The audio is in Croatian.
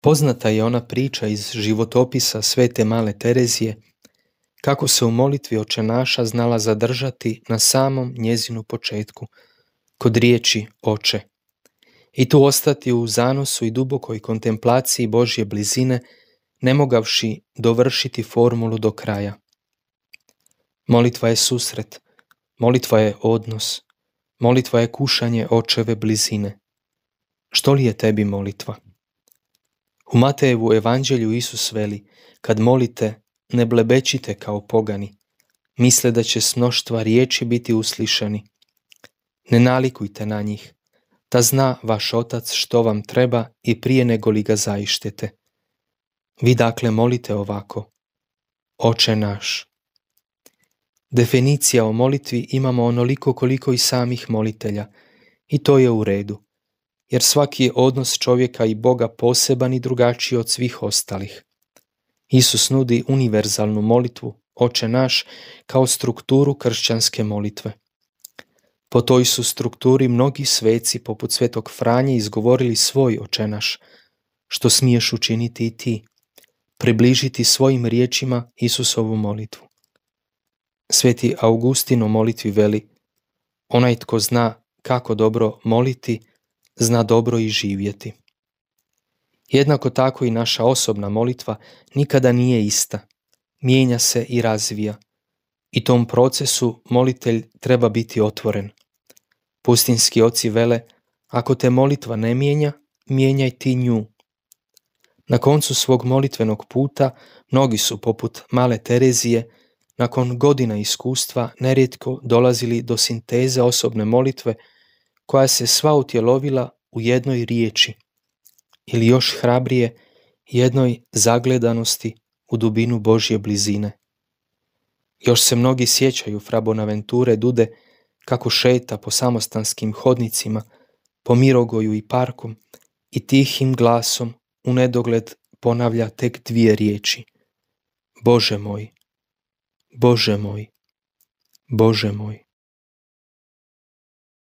Poznata je ona priča iz životopisa Svete Male Terezije, kako se u molitvi Očenaša znala zadržati na samom njezinu početku, kod riječi Oče, i tu ostati u zanosu i dubokoj kontemplaciji Božje blizine, ne mogavši dovršiti formulu do kraja. Molitva je susret, molitva je odnos, molitva je kušanje Očeve blizine. Što li je tebi molitva? U Matejevu evanđelju Isus veli, kad molite, ne blebećite kao pogani, misle da će s mnoštva riječi biti uslišani. Ne nalikujte na njih, da zna vaš Otac što vam treba i prije nego li ga zaištete. Vi dakle molite ovako: Oče naš. Definicija o molitvi imamo onoliko koliko i samih molitelja, i to je u redu, jer svaki je odnos čovjeka i Boga poseban i drugačiji od svih ostalih. Isus nudi univerzalnu molitvu, Oče naš, kao strukturu kršćanske molitve. Po toj su strukturi mnogi sveci, poput svetog Franje, izgovorili svoj Oče naš, što smiješ učiniti i ti, približiti svojim riječima Isusovu molitvu. Sveti Augustin u molitvi veli: onaj tko zna kako dobro moliti, zna dobro i živjeti. Jednako tako i naša osobna molitva nikada nije ista, mijenja se i razvija. I tom procesu molitelj treba biti otvoren. Pustinski oci vele: ako te molitva ne mijenja, mijenjaj ti nju. Na koncu svog molitvenog puta mnogi su, poput Male Terezije, nakon godina iskustva nerijetko dolazili do sinteze osobne molitve koja se sva utjelovila u jednoj riječi, ili još hrabrije, jednoj zagledanosti u dubinu Božje blizine. Još se mnogi sjećaju fra Bonaventure Dude kako šeta po samostanskim hodnicima, po Mirogoju i parkom i tihim glasom u nedogled ponavlja tek dvije riječi: Bože moj, Bože moj, Bože moj.